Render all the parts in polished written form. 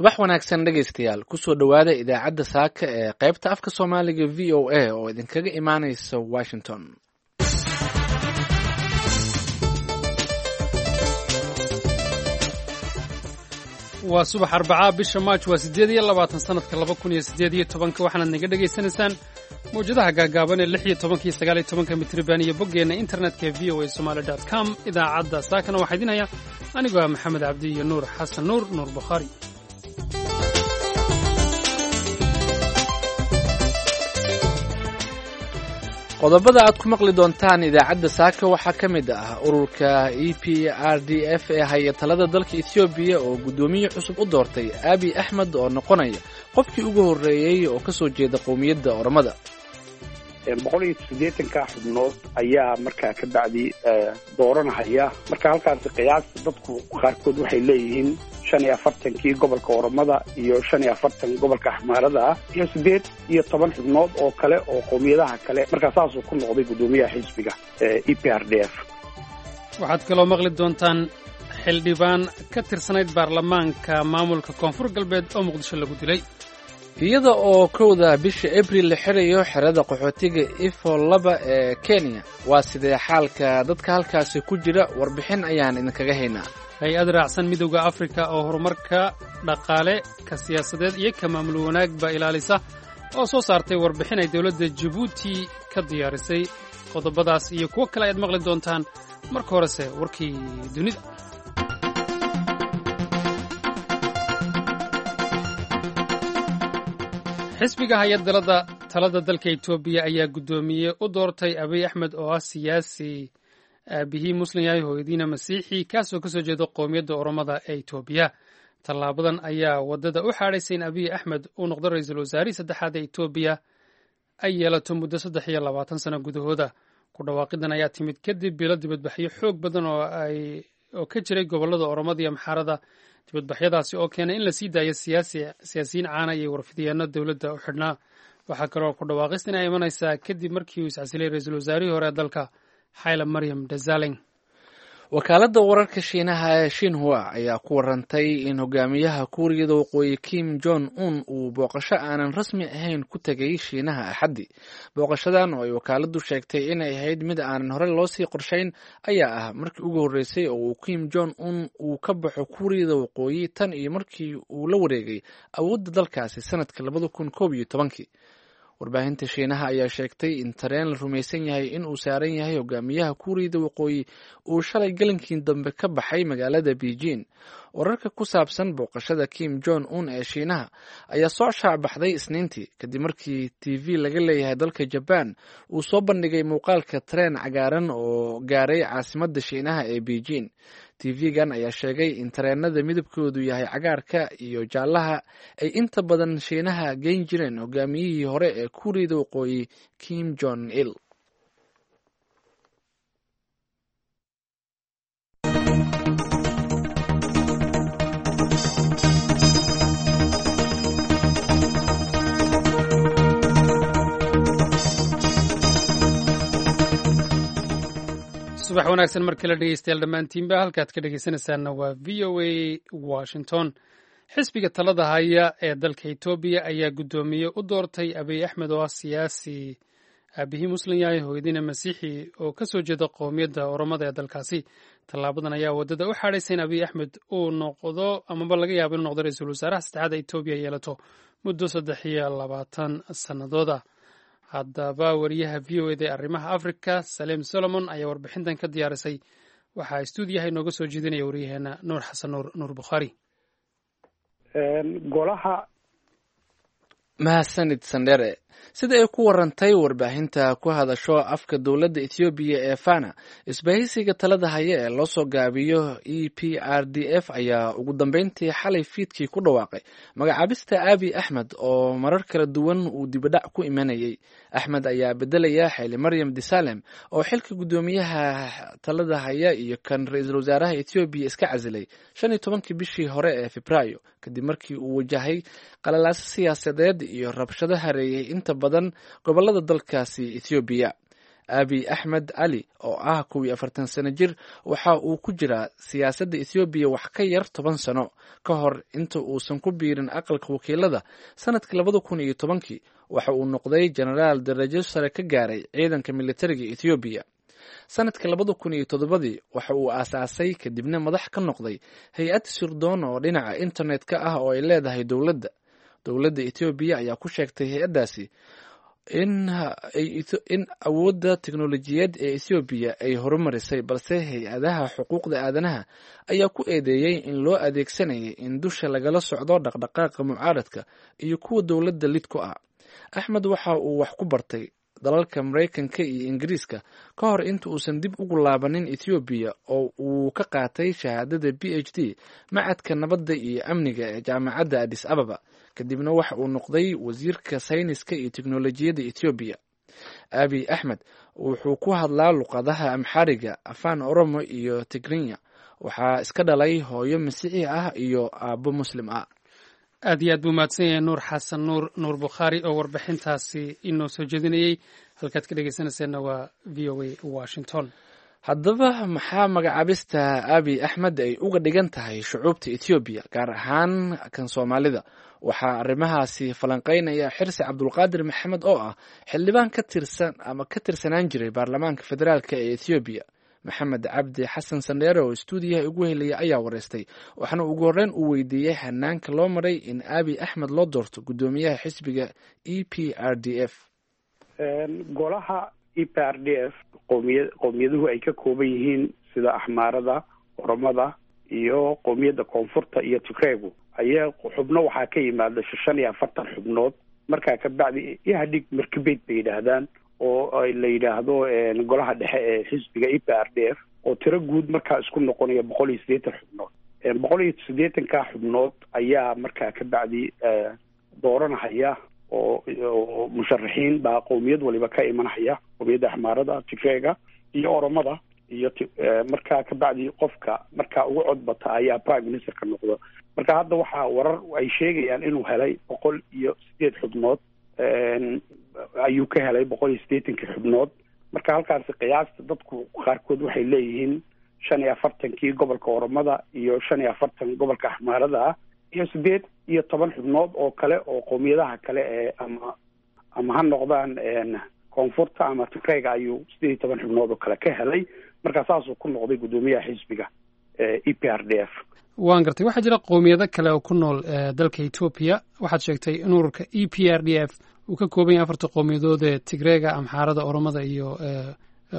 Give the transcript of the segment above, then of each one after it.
Subax wanaagsan dhegaystayaal, kusoo dhowaada idaacadda saaka ee qaybta afka Soomaaliga VOA oo idinkaga imaanaysa Washington. Waa subax Arbacaa, bisha Maaj waa 28, sanadka 2018-ka. Waxaanaad naga dhegaysanaysaan mawjadaha gaagaaban ee 16-ka iyo 19-ka mitriban iyo boggeenna internetka ee voasomali.com. Idaacadda saakana waxaa idin haya anigoo ah Maxamed Cabdi iyo Nuur Xasan Nuur, Nuur Bukhaari. Qodobada aad ku maqli doontaan idaacadda saaka waxaa ka mid ah ururka EPRDF ee haya talada dalka Ethoobiya oo guddoomiye cusub u doortay Abi Axmed oo noqonaya qofkii ugu horreeyey oo ka soo jeeda qowmiyadda Oromada. 180-ka xubnood ayaa markaa ka bacdi dooranahaya. Marka halkaasi qiyaasta dadku qaarkood waxay leeyihiin 45-kii gobolka Oromada iyo 45 gobolka Axmaarada ah iyo 18 xubnood oo kale oo qowmiyadaha kale. Markaa saasuu ku noqday guddoomiyaha xisbiga EPRDF. Waxaad kaloo maqli doontaan xildhibaan ka tirsanayd baarlamaanka maamulka Koonfur Galbeed oo Muqdisho lagu dilay. Iyada oo 1-da bisha Abril la xirayo xerada qaxootiga Ifo 2 ee Kenya, waa sidee xaalka dadka halkaasi ku jira? Warbixin ayaan idinkaga haynaa. Hay-ad raacsan Midowda Afrika oo horumarka dhaqaale, ka siyaasadeed iyo ka maamul wanaagba ilaalisa oo soo saartay warbixin ay dowladda Jabuuti ka diyaarisay. Qodobadaas iyo kuwo kale ayaad maqli doontaan. Marka horese warkii dunida. Xisbiga hay-adda talada dalka Etoobiya ayaa guddoomiye u doortay Abiy Axmed oo ah siyaasi aabihii muslim yahay, hooyadiina masiixi, kaasoo kasoo jeeda qowmiyadda Oromada ee Etoobiya. Tallaabadan ayaa waddada u xaadhaysay in Abiy Axmed uu noqdo ra-iisul wasaarihii saddexaad ee Etoobiya ay yeelato muddo 23 sano gudahooda. Ku dhawaaqidan ayaa timid kadib bilo dibadbaxyo xoog badan oo ka jiray gobollada Oromada iyo Amxaarada, dibadbaxyadaasi oo keenay in la sii daayo siyaasiyiin caana iyo warfidyaano dowladda u xidhnaa. Waxaa kaloo ku dhawaaqistan ay imanaysaa kadib markii uu iscasilay ra-iisul wasaarihii hore ee dalka, Xayla Maryam Desalegn. Wakaaladda wararka Shiinaha ee Shinhua ayaa ku warantay in hogaamiyaha Kuuriyada Waqooyi Kim Jong Un uu booqasho aanan rasmi ahayn ku tegay Shiinaha Axaddi. Booqashadan oo ay wakaaladdu sheegtay inay ahayd mid aanan hore loosii qorshayn ayaa ah markii ugu horreysay oo uu Kim Jong Un uu ka baxo Kuuriyada Waqooyi tan iyo markii uu la wareegay awoodda dalkaasi sanadka 2011-kii. Warbaahinta Shiinaha ayaa sheegtay in tareen la rumaysan yahay in uu saaran yahay hogaamiyaha Kuuriyada Waqooyi uu shalay galinkii dambe ka baxay magaalada Beijing. Wararka ku saabsan booqashada Kim Jong Un ee Shiinaha ayaa soo shaacbaxday Isniintii kadib markii TV laga leeyahay dalka Jaban uu soo bandhigay muuqaalka tareen cagaaran oo gaaray caasimadda Shiinaha ee Beijing. TV-gan ayaa sheegay in tareenada midabkoodu yahay cagaarka iyo jaallaha ay inta badan Shiinaha geyn jireen hogaamiyihii hore ee Kuuriyada Waqooyi Kim Jong Il. Subax wanaagsan mar kale dhegeystayaal dhammaantiinba. Halkaad ka dhegeysanaysaanna waa VOA Washington. Xisbiga talada haya ee dalka Etoobiya ayaa guddoomiye u doortay Abiy Axmed oo ah siyaasi aabihii muslim yahay, hooyadiina masiixi, oo ka soo jeeda qowmiyadda Oromada ee dalkaasi. Tallaabadan ayaa waddada u xaadhaysay in Abiy Axmed uu noqdo amaba laga yaabo inuu noqdo ra-iisul wasaaraha saddexaad ee Etoobiya yeelato muddo 23 sannadooda. Haddaba wariyaha VOA da ee arrimaha Africa, Saleem Solomon, ayaa warbixintan ka diyaarisay. Waxaa stuudiyaha inooga soo jeedinaya waryaheena Nuur Xasan Nuur, Nuur Bukhaari. Golaha Mahadsanid Sandhere. Sida ay ku warantay warbaahinta ku hadasho afka dowladda Ethoobiya ee Fana, isbahaysiga talada haya ee loo soo gaabiyo EPRDF ayaa ugu dambeyntii xalay fiidkii ku dhawaaqay magacaabista Abi Axmed oo marar kala duwan uu dibadhac ku imanayay. Axmed ayaa bedelaya Xayli Maryam Desalem oo xilka guddoomiyaha talada haya iyo kan ra-iisul wasaaraha Ethoobiya iska casilay 15-kii bishii hore ee Febraayo kadib markii uu wajahay qalalaaso siyaasadeed iyo rabshado hareeyay inta badan gobolada dalkaasi Ethoobiya. Abiy Axmed Cali oo ah 41 sano jir waxa uu ku jiraa siyaasadda Ethoobiya wax ka yar 10 sano ka hor inta uusan ku biirin aqalka wakiilada sanadkii 2010-kii. Waxa uu noqday jenaraal darajo sare ka gaaray ciidanka militariga Ethoobiya. Sanadkii 2007-dii waxa uu aasaasay kadibna madax ka noqday hay-ad sirdoon oo dhinaca internet-ka ah oo ay leedahay dowladda. Dowladda Ethoobiya ayaa ku sheegtay hay-addaasi in awoodda teknolojiyaed ee Ethoobiya ay horumarisay, balse hay-adaha xuquuqda aadanaha ayaa ku eedeeyey in loo adeegsanayay in dusha lagala socdo dhaqdhaqaaqa mucaaradka iyo kuwa dowladda lid ku ah. Axmed waxa uu wax ku bartay dalalka Maraykanka iyo Ingiriiska ka hor inta uusan dib ugu laabanin Ethoobiya oo uu ka qaatay shahaadada PhD macadka nabadda iyo amniga ee jaamacadda Addis Ababa. Kadibna waxa uu noqday wasiirka sayniska iyo teknolojiyadda Ethoobiya. Abiy Axmed wuxuu ku hadlaa luqadaha Amxaariga, Afaan Oromo iyo Tigrinya. Waxaa iska dhalay hooyo Masiixi ah iyo aabbo Muslim ah. Aad iyo aad buu mahadsan yahay Nuur Xasan Nuur, Nuur Bukhaari, oo warbixintaasi inoo soo jeedinayey. Halkaad ka dhegeysanayseena waa VOA Washington. Haddaba maxaa magacaabista Abiy Axmed ay uga dhigan tahay shucuubta Ethoobiya, gaar ahaan kan Soomaalida? Waxaa arrimahaasi falanqeynaya Xirsi Cabdulqaadir Maxamed oo ah xildhibaan ka tirsan ama ka tirsanaan jiray baarlamaanka federaalk ee Ethoobiya. Maxamed Cabdi Xasan Sandheere oo istuudiyaha ugu helaya ayaa wareystay, waxaana ugu horreyn uu weydiiyey hanaanka loo maray in Abiy Axmed loo doorto guddoomiyaha xisbiga EPRDF. Golaha EPRDF qowmiyaduhu ay ka kooban yihiin sida Axmaarada, Oromada iyo qowmiyadda Koonfurta iyo Tigreegu ayaa xubno waxaa ka yimaada 45 xubnood. Markaa kabacdi Ihadhig markibeyd bay yidhaahdaan oo la yidhaahdo golaha dhexe ee xisbiga EPRDF, oo tiro guud markaa isku noqonaya 180 xubnood. 180-ka xubnood ayaa markaa kabacdi dooranahaya oo musharaxiin baa qowmiyad waliba ka imanahaya, qowmiyadda Axmaarada, Tigreega iyo Oromada iyo markaa kabacdi qofka markaa ugu codbata ayaa prime ministerka noqdo. Marka hadda waxaa warar ay sheegayaan inuu helay 108 xubnood ayuu ka helay 180-kii xubnood. Marka halkaasi qiyaasta dadku qaarkood waxay leeyihiin 45-kii gobolka Oromada iyo 45 gobolka Axmaarada ah iyo 18 xubnood oo kale oo qowmiyadaha kale ee ama ha noqdaan Koonfurta ama Tigreega ayuu 18 xubnood oo kale ka helay. Marka saasuu ku noqday guddoomiyaha xisbiga EPRDF. Waan gartay. Waxaa jira qowmiyado kale oo ku nool dalka Etoobiya. Waxaad sheegtay in ururka EPRDF uu ka kooban yahay afarta qowmiyadood ee Tigreega, Amxaarada, Oromada iyo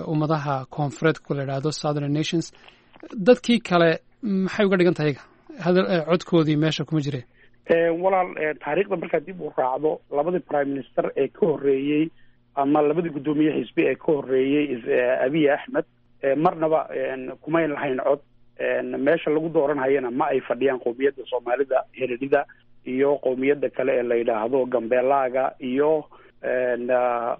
ummadaha koonfureedka la idhaahdo Southern Nations. Dadkii kale maxay uga dhigan tahay iyaga? Hadal codkoodii meesha kuma jireen. Walaal, taariikhda markaa dib u raacdo, labadii prime minister ee ka horreeyey ama labadii guddoomiye xisbi ee ka horreeyey Abiy Axmed marnaba kumayn lahayn cod. Meesha lagu dooranhayana ma ay fadhiyaan qowmiyadda Soomaalida, Heredida iyo qowmiyadda kale ee la yidhaahdo Gambeelaaga iyo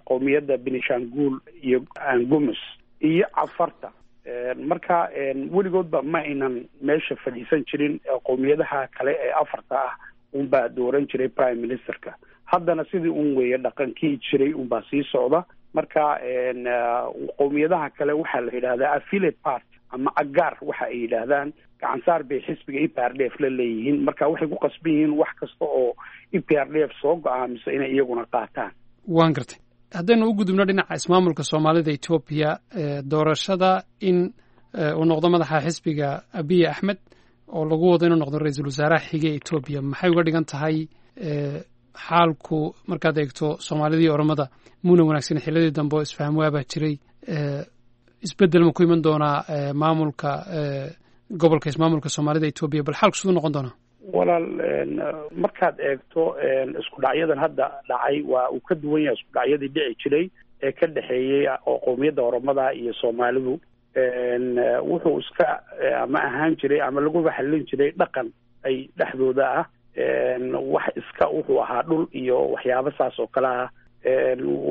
qowmiyadda Benishanguul iyo Angumus iyo Cafarta. Marka weligoodba ma aynan meesha fadhiisan jirin. Qowmiyadaha kale ee afarta ah unbaa dooran jiray prime ministerka. Haddana sidii un weeye, dhaqankii jiray unbaa sii socda. Marka qowmiyadaha kale waxaa la yidhahdaa affiliate part ama agaar waxa ay yidhaahdaan, gacansaar bay xisbiga EPRDF la leeyihiin. Marka waxay ku qasban yihiin wax kasta oo EPRDF soo go-aamiso inay iyaguna qaataan. Waan gartay. Haddaynu u gudubno dhinaca ismaamulka Soomaalida Etoobiya, doorashada in uu noqdo madaxa xisbiga Abiy Axmed oo lagu wado inuu noqdo ra-iisul wasaaraha xige Etoobiya, maxay uga dhigan tahay xaalku markaad eegto Soomaalidii Oromada muuna wanaagsan xilladii dambe oo isfaham waabaa jiray? Isbeddel ma ku iman doonaa maamulka gobolka ismaamulka Soomaalida Etoobiya? Bal xaalku siduu noqon doonaa? Walaal, markaad eegto isku dhacyadan hadda dhacay waa uu ka duwan yahay isku dhacyadii dhici jiray ee ka dhexeeyey oo qowmiyadda Oromada iyo Soomaalidu. Wuxuu iska ama ahaan jiray ama laguba xallin jiray dhaqan ay dhexdooda ah, wax iska wuxuu ahaa dhul iyo waxyaabo saas oo kale ah,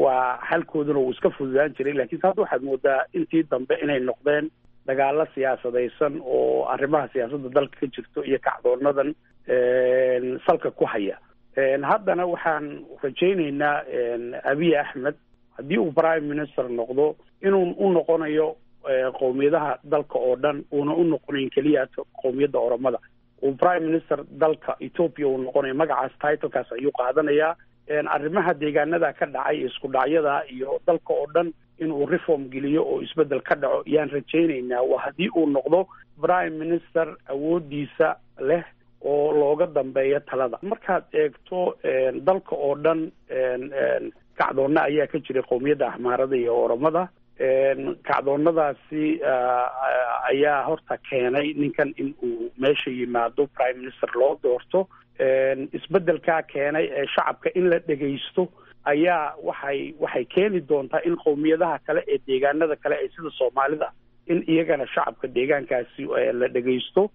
waa xalkooduna wuu iska fududaan jiray. Lakiinse hadda waxaad moodaa intii dambe inay noqdeen dagaalo siyaasadaysan oo arrimaha siyaasadda dalka ka jirto iyo kacdoonadan salka ku haya. Haddana waxaan rajaynaynaa Abiy Axmed Haddii uu prime minister noqdo, inuu u noqonayo qowmiyadaha dalka oo dhan, uuna u noqonayn keliya qowmiyadda Oromada. Uu prime minister dalka Ethiopia uu noqonayo, magacaas, titlekaas ayuu qaadanayaa. Arrimaha deegaanada ka dhacay, isku dhacyada iyo dalka oo dhan inuu reform geliyo oo isbeddel ka dhaco yaan rajaynaynaa. Waa haddii uu noqdo prime minister awoodiisa leh oo looga dambeeyo talada. Markaad eegto dalka oo dhan, kacdoonna ayaa ka jiray qowmiyadda Axmaarada iyo Oromada. Kacdoonnadaasi ayaa horta keenay ninkan in uu meesha yimaado, prime minister loo doorto. Isbeddelkaa keenay ee shacabka in la dhegaysto ayaa waxay keeni doontaa in qowmiyadaha kale ee deegaanada kale ee sida Soomaalida in iyagana shacabka deegaankaasi la dhegaysto.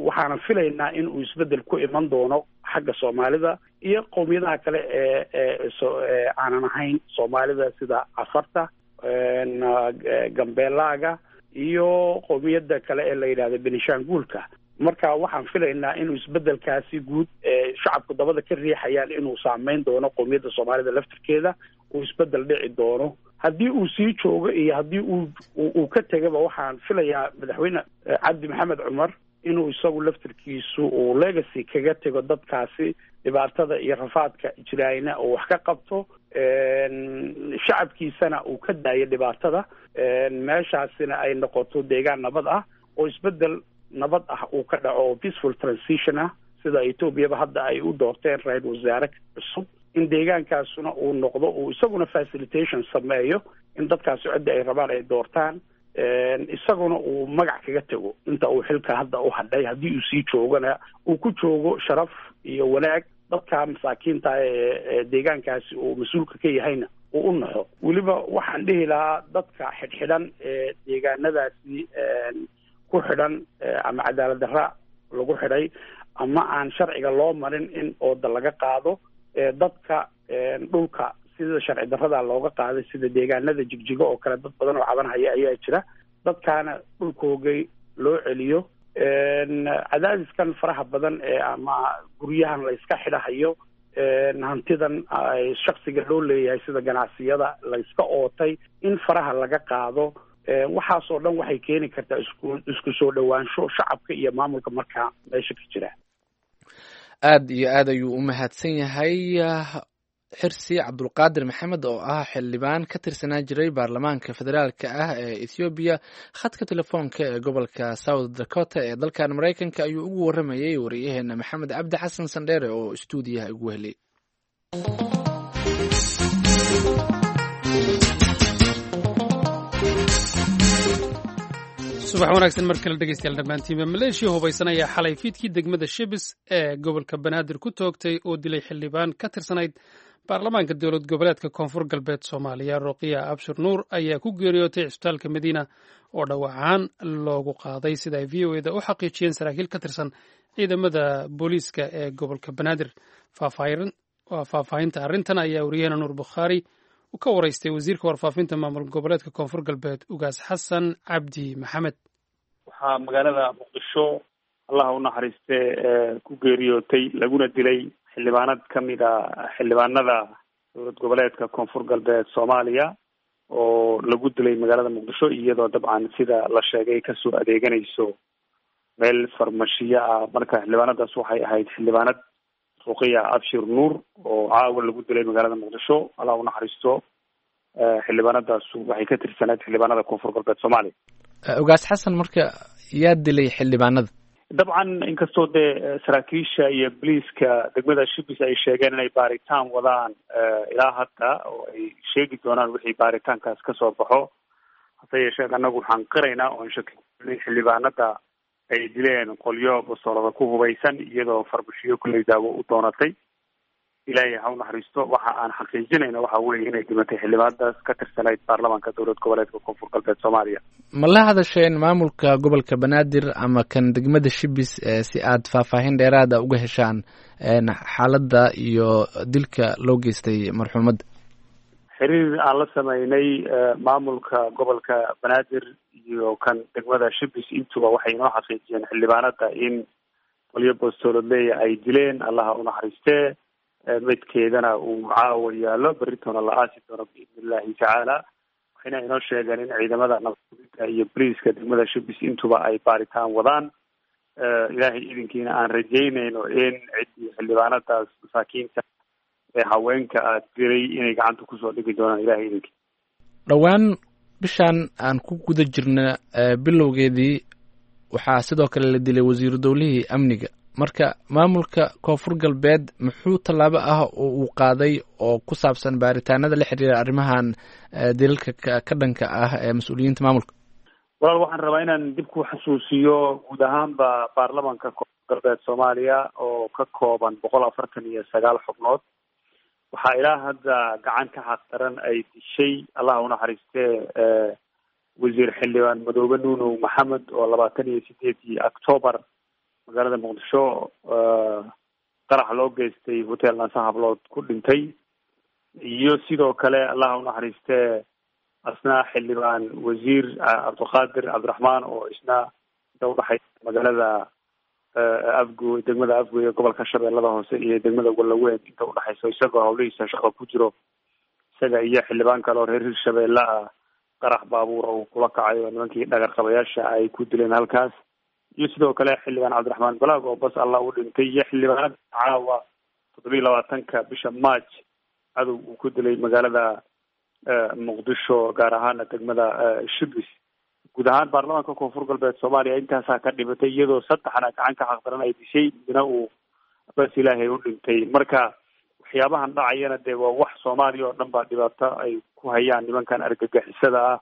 Waxaana filaynaa in uu isbeddel ku iman doono xagga Soomaalida iyo qowmiyadaha kale ee aanan ahayn Soomaalida, sida Cafarta, Gambeelaaga iyo qowmiyadda kale ee la yidhahda Benishanguulka. Marka waxaan filaynaa inuu isbeddelkaasi guud ee shacabku dabada ka riixayaan inuu saameyn doono qowmiyadda Soomaalida laftirkeeda, uu isbeddel dhici doono. Haddii uu sii joogo iyo haddii uu ka tegaba, waxaan filayaa Madaxweyne Cabdi Maxamed Cumar inuu isagu laftirkiisu uu legacy kaga tego dadkaasi dhibaatada iyo rafaadka jiraayna uu wax ka qabto, shacabkiisana uu ka daayo dhibaatada, meeshaasina ay noqoto deegaan nabad ah oo isbeddel nabad ah uu ka dhaco oo peaceful transition ah, sida Etoobiyaba hadda ay u doorteen ra-isul wasaare cusub, in deegaankaasuna uu noqdo uu isaguna facilitation sameeyo in dadkaasi cidda ay rabaan ay doortaan, isaguna uu magac kaga tego inta uu xilka hadda u hadhay. Haddii uu sii joogana, uu ku joogo sharaf iyo wanaag, dadka masaakiinta ee deegaankaasi uu mas-uulka ka yahayna uu u naxo. Weliba waxaan dhihi lahaa dadka xidhxidhan ee deegaanadaasi ku xidhan, ama cadaalad darra lagu xidhay ama aan sharciga loo marin, in ooda laga qaado dadka dhulka sida sharci darrada looga qaaday, sida deegaanada Jigjigo oo kale. Dad badan oo cabanhaya ayaa jira, dadkaana dhulkoogay loo celiyo. Cadaadiskan faraha badan ee ama guryahan la iska xidhahayo, hantidan shaksiga loo leeyahay sida ganacsiyada la iska ootay, in faraha laga qaado. Waxaasoo dhan waxay keeni kartaa isku soo dhowaansho shacabka iyo maamulka markaa meesha ka jira. Aad iyo aad ayuu u mahadsan yahay Xirsi Cabdulqaadir Maxamed oo ah xildhibaan ka tirsanaa jiray baarlamaanka federaalka ah ee Ethoobiya. Khadka telefoonka ee gobolka South Dakota ee dalkan Maraykanka ayuu ugu waramayey wariyaheena Maxamed Cabdi Xasan Sandheere oo istuudiyaha ugu helay. Subax wanaagsan mar kale, dhegeystayaal dhammaantiinba. Maleeshiya hubaysan ayaa xalay fiidkii degmada Shibis ee gobolka Banaadir ku toogtay oo dilay xildhibaan ka tirsanayd baarlamaanka dowlad goboleedka Koonfur Galbeed Soomaaliya. Roqiya Abshir Nuur ayaa ku geeriyootay cisbitaalka Madiina oo dhawacaan loogu qaaday, sida ay VOA da u xaqiijiyeen saraakiil ka tirsan ciidamada booliiska ee gobolka Banaadir. Faahfaahinta arrintan ayaa wariyaheena Nuur Bukhaari ka waraystay wasiirka warfaafinta maamul goboleedka Koonfur Galbeed, Ugaas Xasan Cabdi Maxamed. Waxaa magaalada Muqdisho, Allaha u naxariiste, ku geeriyootay laguna dilay xildhibaanad ka mid a xildhibaanada dowlad goboleedka Koonfur Galbeed Soomaaliya, oo lagu dilay magaalada Muqdisho iyadoo dabcan sida la sheegay kasoo adeeganayso meel farmashiyo ah. Marka xildhibaanadaas waxay ahayd xildhibaanad Ruqiya Abshir Nuur oo caawa lagu dilay magaalada Muqdisho. Allah u naxariisto. Xildhibaanadaasu waxay ka tirsaneed xildhibaanada Koonfur Galbeed Soomaaliya. Ugaas Xasan, marka yaa dilay xildhibaanada? Dabcan inkastoo dee saraakiisha iyo boliiska degmada Shibis ay sheegeen inay baaritaan wadaan ilaa hadda oo ay sheegi doonaan wixii baaritaankaas kasoo baxo, hase yeeshee annagu waxaan qiraynaa oon shaki in xildhibaanada ay dileen qolyo basoolada ku hubaysan iyadoo farmashiyo kulley daawo u doonatay. Ilaahay ha u naxariisto. Waxa aan xaqiijinayna waxa weeye inay dhimatay xildhibaanadaas ka tirsanayd baarlamaanka dowlad goboleedka Koonfur Galbeed Soomaaliya. Ma la hadasheen maamulka gobolka Banaadir ama kan degmada Shibis si aad faahfaahin dheeraada uga heshaan xaaladda iyo dilka loo geystay marxuumadda? Xiriir aan la sameynay maamulka gobolka Banaadir iyo kan degmada Shibis intuba waxay inoo xaqiijiyeen xildhibaanada in qolyo bostoolodleeya ay dileen. Allaha u naxariistee. Meydkeedana uu caawa yaallo, berritona la aasi doono biidni illahi tacaala. Waxayna inoo sheegeen in ciidamada nabadgudida iyo boliiska degmada Shibis intuba ay baaritaan wadaan. Ilaahay idinkiina aan rajaynayno in ciddii xildhibaanadaas masaakiinta ee haweenka aad diray inay gacanta kusoo dhigi doonaan, ilahay idinkii. Dhowaan bishan aan ku guda jirna bilowgeedii waxaa sidoo kale la dilay wasiiru dowlihii amniga. Marka maamulka Koonfur Galbeed muxuu tallaabo ah oo uu qaaday oo ku saabsan baaritaanada la xiriira arrimahan dilalka ka dhanka ah ee mas-uuliyiinta maamulka? Walaal, waxaan rabaa inaan dib ku xasuusiyo guud ahaanba baarlamanka Koonfur Galbeed Soomaaliya oo ka kooban 149 xubnood, waxaa ilaa hadda gacan ka xaqdaran ay dishay, Allah unaxariistee, wasiir xildhibaan Madoobe Nuunow Maxamed oo 28-dii Octoobar magaalada Muqdisho qarax loo geystay hotel Naasa Hablood ku dhintay, iyo sidoo kale, Allah unaxariistee, asna xildhibaan wasiir Cabdiqaadir Cabdiraxmaan oo isna inta udhaxaysa magaalada Afgo, degmada Afgoy ee gobolka Shabeellada Hoose iyo degmada Wallaweyn inta udhaxayso, isagoo hawlihiisa shaqo ku jiro, isaga iyo xildhibaan kale oo reer Hirshabeelle ah qarax baabuura uu kula kacay oo nimankii dhagar qabayaasha ay ku dileen halkaas, iyo sidoo kale xildhibaan Cabdiraxmaan Balaag oo bas Allah u dhintay, iyo xildhibaanada caawa 27-ka bisha March cadow uu ku dilay magaalada Muqdisho, gaar ahaana degmada Shibis. Guud ahaan baarlamaanka Koonfur Galbeed Soomaaliya intaasaa ka dhimatay, iyadoo saddexna gacan ka xaqdaran ay dishay, midna uu bas ilaahay u dhintay. Marka waxyaabahan dhacayana dee waa wax Soomaaliya oo dhan baa dhibaato ay ku hayaan nimankan argagixisada ah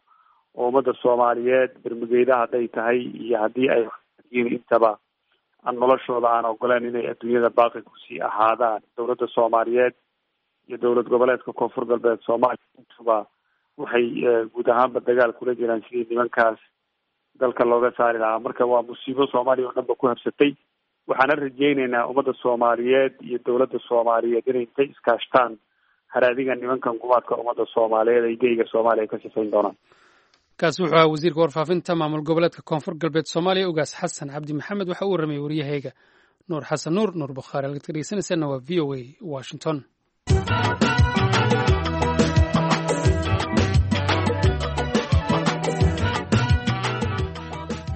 oo ummadda Soomaaliyeed bermugeyda hadday tahay iyo haddii ay yihiin intaba aan noloshooda aan ogoleen inay adduunyada baaqi kusii ahaadaan. Dowladda Soomaaliyeed iyo dowlad goboleedka Koonfur Galbeed Soomaaliya intuba waxay guud ahaanba dagaal kula jiraan sidii nimankaas dalka looga saari lahaa. Marka waa musiibo Soomaaliya oo dhan ba ku habsatay. Waxaana rajaynaynaa ummadda Soomaaliyeed iyo dowladda Soomaaliyeed inay intay iskaashtaan haraadiga nimankan gumaadka ummadda Soomaaliyeed ay geyga Soomaaliya ka sifayn doonaan. Kaasi wuxuu ahaa wasiirka warfaafinta maamul goboleedka Koonfur Galbeed Soomaaliya, Ugaas Xasan Cabdi Maxamed. Waxa uu warramayay waryahayga Nuur Xasan Nuur, Nuur Bukhaari. Halkaad ka dhegeysanaysaana waa V O A Washington.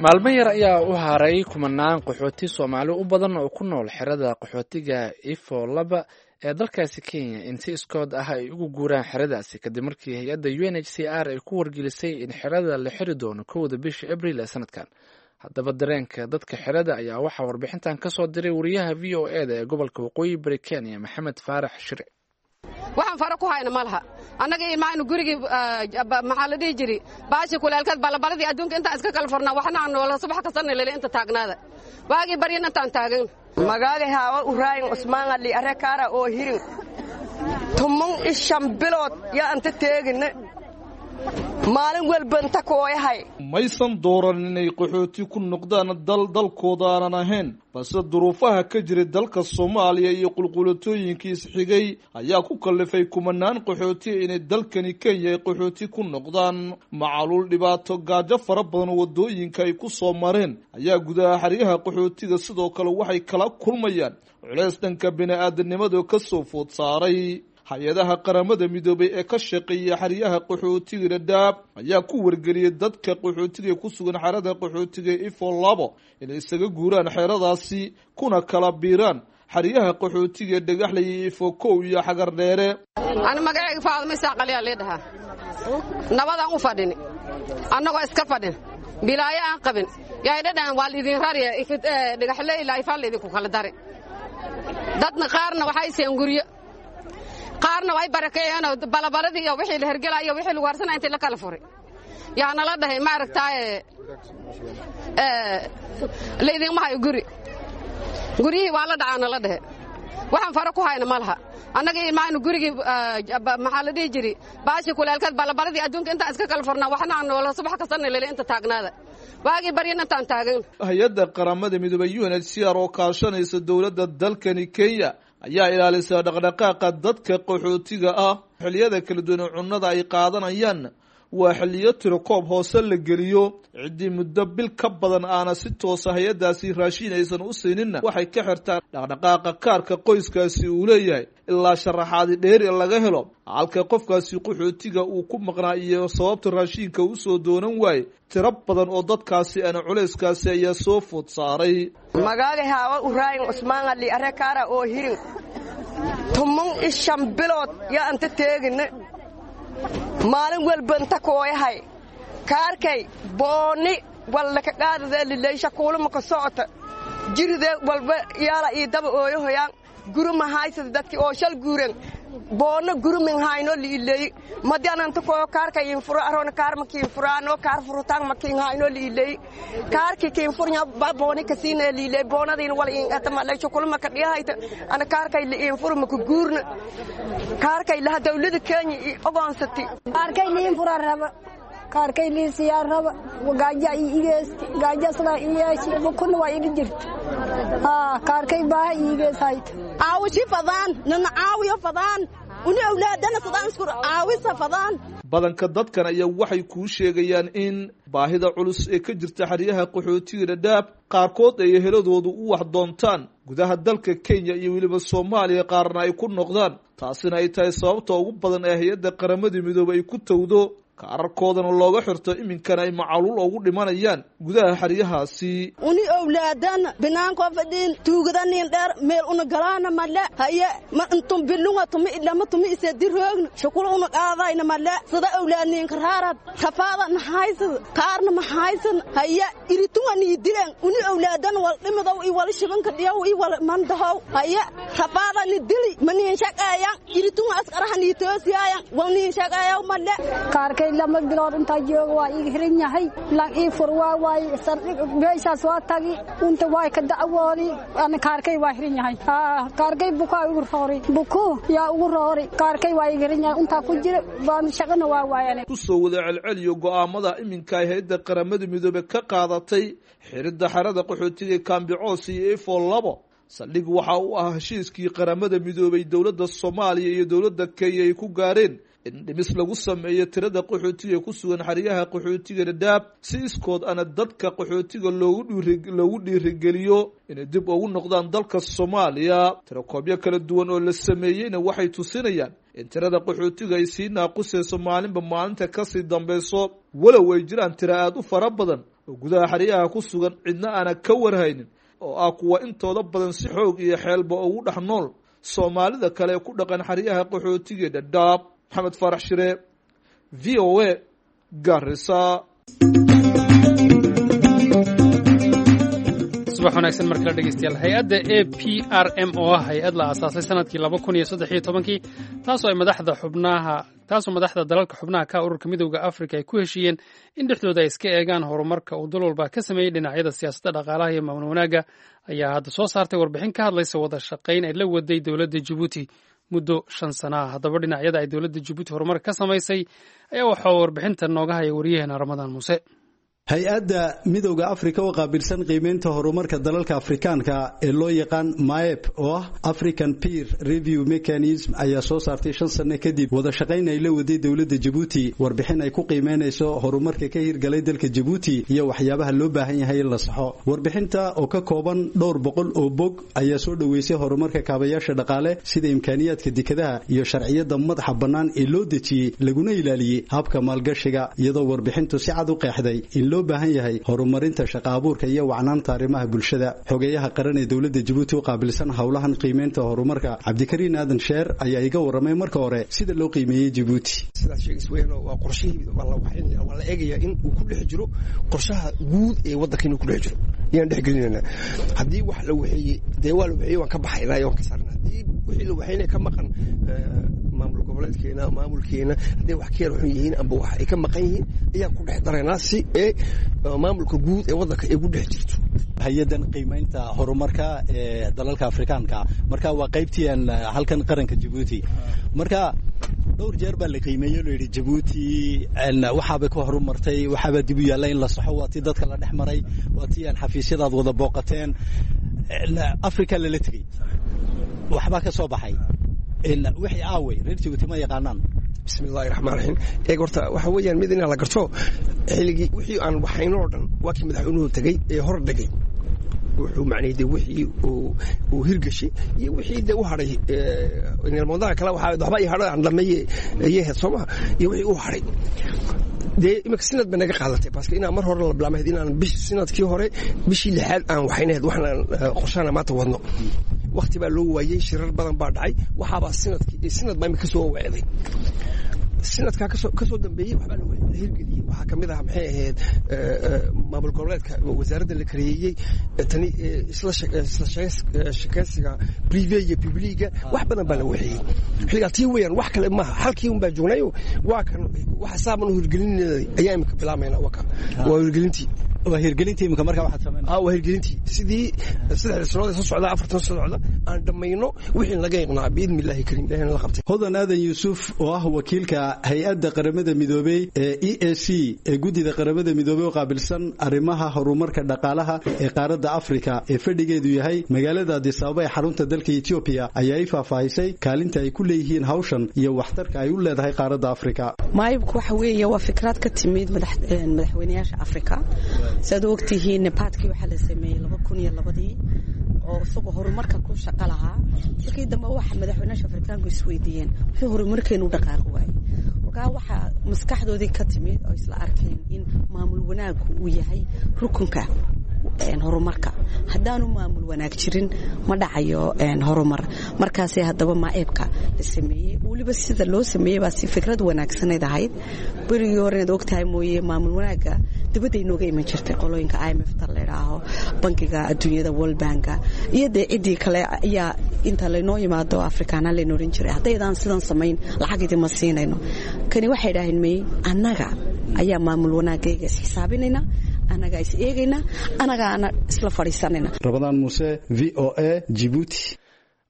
Maalmo yar ayaa u haray kumanaan qaxooti Soomaali u badan oo ku nool xerada qaxootiga Ifo 2 ee dalkaasi Kenya in si iskood ah ay ugu guuraan xeradaasi, kadib markii hay-adda UNHCR ay ku wargelisay in xerada la xiri doono 1-da bisha Abriil ee sanadkan. Haddaba dareenka dadka xerada ayaa waxaa warbixintan ka soo diray wariyaha V O E da ee gobolka Waqooyi Bari Kenya, Maxamed Faarax Shire. Waxaan fara ku hayna ma laha. Annaga ilmaaynu gurigii, maxaa la dhihi jiri, baashi kuleelkeed, balabaladii adduunka intaan iska kala furnaa, waxna aan noola subax kastana lele inta taagnaada, waagii baryan intaan taagan. Magaaga haawa uraayin Cusmaan Ali arekaara oo hirin 15 bilood yaa anta teegine, maalin walba inta kooyahay. Maysan dooran inay qaxooti ku noqdaan dal dalkooda aanan ahayn, balse duruufaha ka jiray dalka Soomaaliya iyo qulqulatooyinkii isxigay ayaa ku kallifay kumanaan qaxooti inay dalkani Kenya ay qaxooti ku noqdaan. Macaluul, dhibaato, gaajo fara badan wadooyinka ay ku soo mareen ayaa gudaha xeryaha qaxootiga sidoo kale waxay kala kulmayaan culeys dhanka bini-aadanimada ka soo food saaray. Hay-adaha Qaramada Midoobay ee ka shaqeeya xeryaha qaxootiga Dhadhaab ayaa ku wargeliyay dadka qaxootiga ku sugan xerada qaxootiga Ifo 2 inay isaga guuraan xeradaasi kuna kala biiraan xeryaha qaxootiga Dhagaxley iyo Ifo 1 iyo Xagar Dheere. Ani magacayga Faaduma Isaaqaliyaa lii dhahaa. Nabadaan u fadhini, annagoo iska fadhin, bilaayo aan qabin, yaay dhadhan waa laidin rariya Dhagaxley ilaa Ifaa laydinku kala dari. Dadna qaarna waxay seen guryo, qaarna way barakeeyeenoo balabaladii iyo wixii la hergelaa iyo wixii lagu harsanaya intii la kala furay yaa nala dhahay, ma aragtaaye, laydinma hayo guri, guryihii waa la dhacaa nala dhahe. Waxaan fara ku hayna ma laha. Annaga ilmaaynu gurigii, maxaa la dhihi jiri, baashi kuleelkeed, balabaladii adduunka intaan iska kala furnaa, waxna aan noola subax kastana lele inta taagnaada, waagii baryan intaan taagan. Hay-adda Qaramada Midoobay UNHCR oo kaashanaysa dowladda dalkani Kenya ayaa ilaalisa dhaqdhaqaaqa dadka qaxootiga ah xilliyada kala duwan ee cunnada ay qaadanayaan. Waa xilliyo tirokoob hoose la geliyo. Ciddii muddo bil ka badan aana si toosa hay-addaasi raashiin aysan u siininna waxay ka xirtaan dhaqdhaqaaqa kaarka qoyskaasi uu leeyahay ilaa sharaxaadi dheeri laga helo halka qofkaasi qaxootiga uu ku maqnaa iyo sababta raashiinka usoo doonan waaye. Tiro badan oo dadkaasi ana culayskaasi ayaa soo food saaray. Magaaga haawa uraayin Cusmaan Ali are kaara oo hirin 15 bilood yaa anta teegine, maalin walba inta kooyahay kaarkay booni walla ka qaadada lileysha kuuluma ka socota jiride walba yaala ii daba ooyahoyaan guruma haysada dadki oo shal guuren boona gurumin hayno liileey madi ananta kooyo kaarka iin furo aroona kaar ma kiin furaano kaar furutaan ma kiin hayno liileey kaarki kiin furnya ba booni kasiina liileey boonadiin wala iin atama leysho kulma ka dhiyahayta ana kaarkay liin furo ma ku guurna kaarkay laha dawlada Kenya i ogoonsati. Kaarkay liin fura raba, kaarkay liin siyaa raba, gaaja iigees gaaja sida iyeeshi bukuna waa iga jirta haa kaarkay baaha iigees hayta. Caawishi fadaan nana caawiyo fadaan uni awlaadana sadaan isku caawisa fadaan. Badanka dadkan ayaa waxay kuu sheegayaan in baahida culus ee ka jirta xeryaha qaxootiga Dhadhaab qaarkood ay eheladoodu u wax doontaan gudaha dalka Kenya iyo weliba Soomaaliya, qaarna ay ku noqdaan, taasina ay tahay sababta ugu badan ee hay-adda Qaramada Midoobay ay ku towdo kaararkoodana looga xirto, iminkana ay macaluul ugu dhimanayaan gudaha xeryahaasi. Uni owlaadana binaankoo fadhiin tuugadanin dheer meel una galaana male haye ma intum bilunga tumi idlama tumi isediroogna shukul una qaadayna male sida owlaadninka raarad rafaada nahaysad kaarna mahaysan haye iritunga nii dilen uni owlaadana wal dhimidow i wal shibanka dhiyow i wal mandahow haye rafaada ni dili maniin shaqeeyan iritunga askaraha nii toosiyaayan wal niin shaqeeyaw male. Kaarkay 2 bilood intaa jooga waa iiga xiran yahay lan ii fur waa waay sardhig meeshaas waa tagi unta waa ka dacwoodi ana kaarkay waa xiran yahay kaarkay bukaa ugu roori buku yaa ugu roori kaarkay waa iiga xiran yahay intaa ku jira baan shaqana waa waayane. Ku soo wada celceliyo go'aamada iminka ay hay-adda Qaramada Midoobey ka qaadatay xiridda xerada qaxootiga Kaambicoos iyo Efo 2 saldhig waxa uu ah heshiiskii Qaramada Midoobey, dowladda Soomaaliya iyo dowladda Kenya ay ku gaareen in dhimis lagu sameeyo tirada qaxootiga ku sugan xeryaha qaxootiga Dhadhaab, si iskood ana dadka qaxootiga loogu dhiirigeliyo inay dib ugu noqdaan dalka Soomaaliya. Tirakoobyo kala duwan oo la sameeyeyna waxay tusinayaan in tirada qaxootiga ay sii naaqusayso maalinba maalinta kasii dambeyso, walow ay jiraan tiro aada u fara badan oo gudaha xeryaha ku sugan cidna aana ka warhaynin oo ah kuwa intooda badan si xoog iyo xeelba ugu dhex nool Soomaalida kale ee ku dhaqan xeryaha qaxootiga Dhadhaab. Maxamed Faarax Shire, VOA, Garissa. Subax wanaagsan mar kale dhegeystayaal. Hay-adda APRM oo ah hay-ad la aasaasay sanadkii 2013-kii, taasoo ay madaxda xubnaha taasoo madaxda dalalka xubnaha ka ururka Midowda Afrika ay ku heshiiyeen in dhexdooda ay iska eegaan horumarka uu dal walba ka sameeyey dhinacyada siyaasadda, dhaqaalaha iyo maamul wanaagga, ayaa hadda soo saartay warbixin ka hadlaysa wada shaqayn ay la waday dowladda Jabuuti muddo 5 sana ah. Haddaba dhinacyada ay dowladda Jabuuti horumar ka samaysay ayaa waxaa warbixinta nooga haya wariyaheena Ramadaan Muuse. Hay-adda Midowda Afrika oo qaabilsan qiimeynta horumarka dalalka Afrikaanka ee loo yaqaan MAEP oo ah African Peer Review Mechanism ayaa soo saartay 5 sano kadib wada shaqayn ay la waday dowladda Jabuuti warbixin ay ku qiimeynayso horumarka ka hirgalay dalka Jabuuti iyo waxyaabaha loo baahan yahay in la saxo. Warbixinta oo ka kooban dhowr boqol oo bog ayaa soo dhoweysay horumarka kaabayaasha dhaqaale sida imkaaniyaadka dekedaha iyo sharciyada madaxa bannaan ee loo dejiyey laguna ilaaliyey habka maalgashiga, iyadoo warbixintu si cad u qeexday in loo baahan yahay horumarinta shaqo abuurka iyo wacnaanta arrimaha bulshada. Xogeyaha qaran ee dowladda Jabuuti u qaabilsan howlahan qiimeynta horumarka, Cabdikariin Aadan Sheer, ayaa iga warramay marka hore sida loo qiimeeyey Jabuuti. Sidaas sheegis weyn waa qorshihii waa la waxaynaya, waa la eegayaa in uu ku dhex jiro qorshaha guud ee waddanka, inuu ku dhex jiro ayaan dhex gelinaynaa. Haddii wax la waxeeyey dee waa la waxeeyey, waan ka baxaynaa, waan ka saarnaa. Haddii wixii la waxeynaya ka maqan maamul goboleedkeena, maamulkeena, hadday wax ka yar xun yihiin amba wax ay ka maqan yihiin ayaan ku dhex daraynaa si ee maamulka guud ee waddanka ay ku dhex jirto. Hay-adan qiimeynta horumarka ee dalalka Afrikaanka marka waa qaybtii halkan qaranka Jabuuti, marka dhowr jeer baa la qiimeeyey, loo yidhi Jabuuti waxaabay ku horumartay, waxaabaa dib u yaalla in la saxo. Waa tii dadka la dhex maray, waa tii aan xafiisyadaad wada booqateen, Afrika lala tegey, waxbaa ka soo baxay. Wixii aaway reer Jabuuti ma yaqaanaan. Bismillahi raxmaan raxiim. Eeg, horta waxa weeyaan mid inaa la garto, xilligii wixii aan waxayno oo dhan waa kii madaxweynuhu tegey ee hor dhigay, wuxuu macnayay de wixii uu hirgashay iyo wixii de u hadhay. Mawdaha kale waxaa waxba ii hadho aan dhameeye ayay ahayd, soo maha? Iyo wixii u hadhay dee imika sinad bay naga qaadatay, paske inaan mar hore la bilaamahayd, inaan bish sinadkii hore bishii lixaad aan waxaynahayd, waxaan qorshaana maanta wadno. Wakti baa loo waayey, shirar badan baa dhacay, waxaabaa sinadkii sinad baa imika kasoo wacday. Sinadkaa kasoo dambeeyey waxbaa la hirgeliyey. Waxaa ka mid ah, maxay ahayd, maamul goboleedka wasaaradda la kareeyey, tani isla shekeysiga privé iyo publiga, wax badan baa la waxeeyey xilligaa. Tii weeyaan, wax kale maaha, halkii un baa joognayo. Waa kan waxa saaban u hirgelinay ayaa imika bilaamayna, waa kan, waa hirgelintii. Waa hirgelintii imika markaa waxaad samaynaysaa? Ah, waa hirgelintii, sidii 3da sanood ee soo socda, 4tan soo socda aan dhammayno wixii laga iqnaa, biidni illaahi kariim, ilahina la qabtay. Hodan Aadan Yuusuf oo ah wakiilka hay-adda Qaramada Midoobey ee EAC ee guddida Qaramada Midoobey oo qaabilsan arrimaha horumarka dhaqaalaha ee qaaradda Afrika ee fadhigeedu yahay magaalada Addis Ababa ee xarunta dalka Ethiopia, ayaa i faahfaahisay kaalinta ay ku leeyihiin hawshan iyo waxtarka ay u leedahay qaaradda Afrika. MAEPku waxa weeye waa fikrad ka timid madaxweynayaasha Afrika. Siaad u ogtihiin, NEPADkii waxaa la sameeyey 2002dii oo isagoo horumarka ku shaqo lahaa. Markii dambe waxa madaxweynayaasha Afrikaanku isweydiiyeen muxuu horumarkeenu u dhaqaaqi waayey. Markaa waxaa maskaxdoodii ka timid oo isla arkeen in maamul wanaaggu uu yahay rukunka horumarka. Haddaanu maamul wanaag jirin, ma dhacayo horumar. Markaasee haddaba MAEPka la sameeyey. Weliba sida loo sameeyey baa si fikrad wanaagsanayd ahayd. Berigii hore, inaad ogtahay mooye, maamul wanaagga dibadday nooga iman jirtay, qolooyinka IMF ta la idhaaho, bankiga adduunyada, World Banka, iyo dee ciddii kale ayaa inta laynoo yimaado Afrikaana layna odhan jiray, haddaydaan sidan samayn lacag idima siinayno. Kani waxay idhaaheen, may, annaga ayaa maamul wanaagayga is xisaabinayna, annagaa is eegayna, annagaana isla fadhiisanayna. Ramadaan Muuse, VOA, Jibuuti.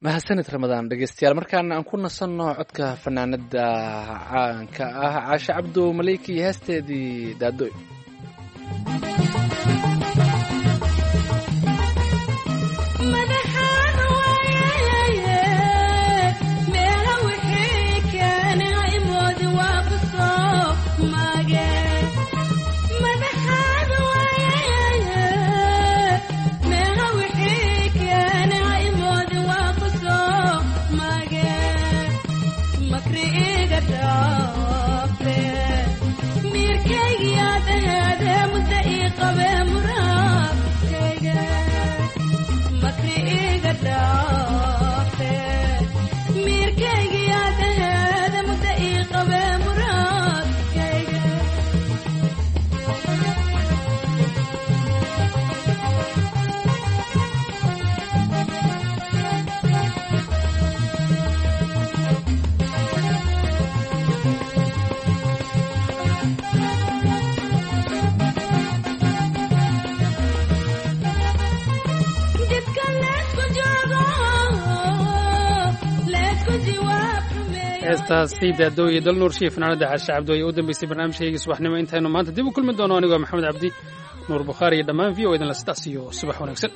Mahadsanid Ramadaan. Dhegeystayaal, markaana aan ku nasanno codka fanaanada caanka ah Caashe Cabdo Maleyki iyo heesteedii Daadoy. Heestaasi Daadooye Dalnuurshiya, fanaanada Caashe Cabdo, ayaa u dambeysay barnaamijkaygii subaxnimo. Intaynu maanta dib u kulmi doono, anigoo Maxamed Cabdi, Nuur Bukhaari iyo dhammaan VOA idinla sidaas iyo subax wanaagsan.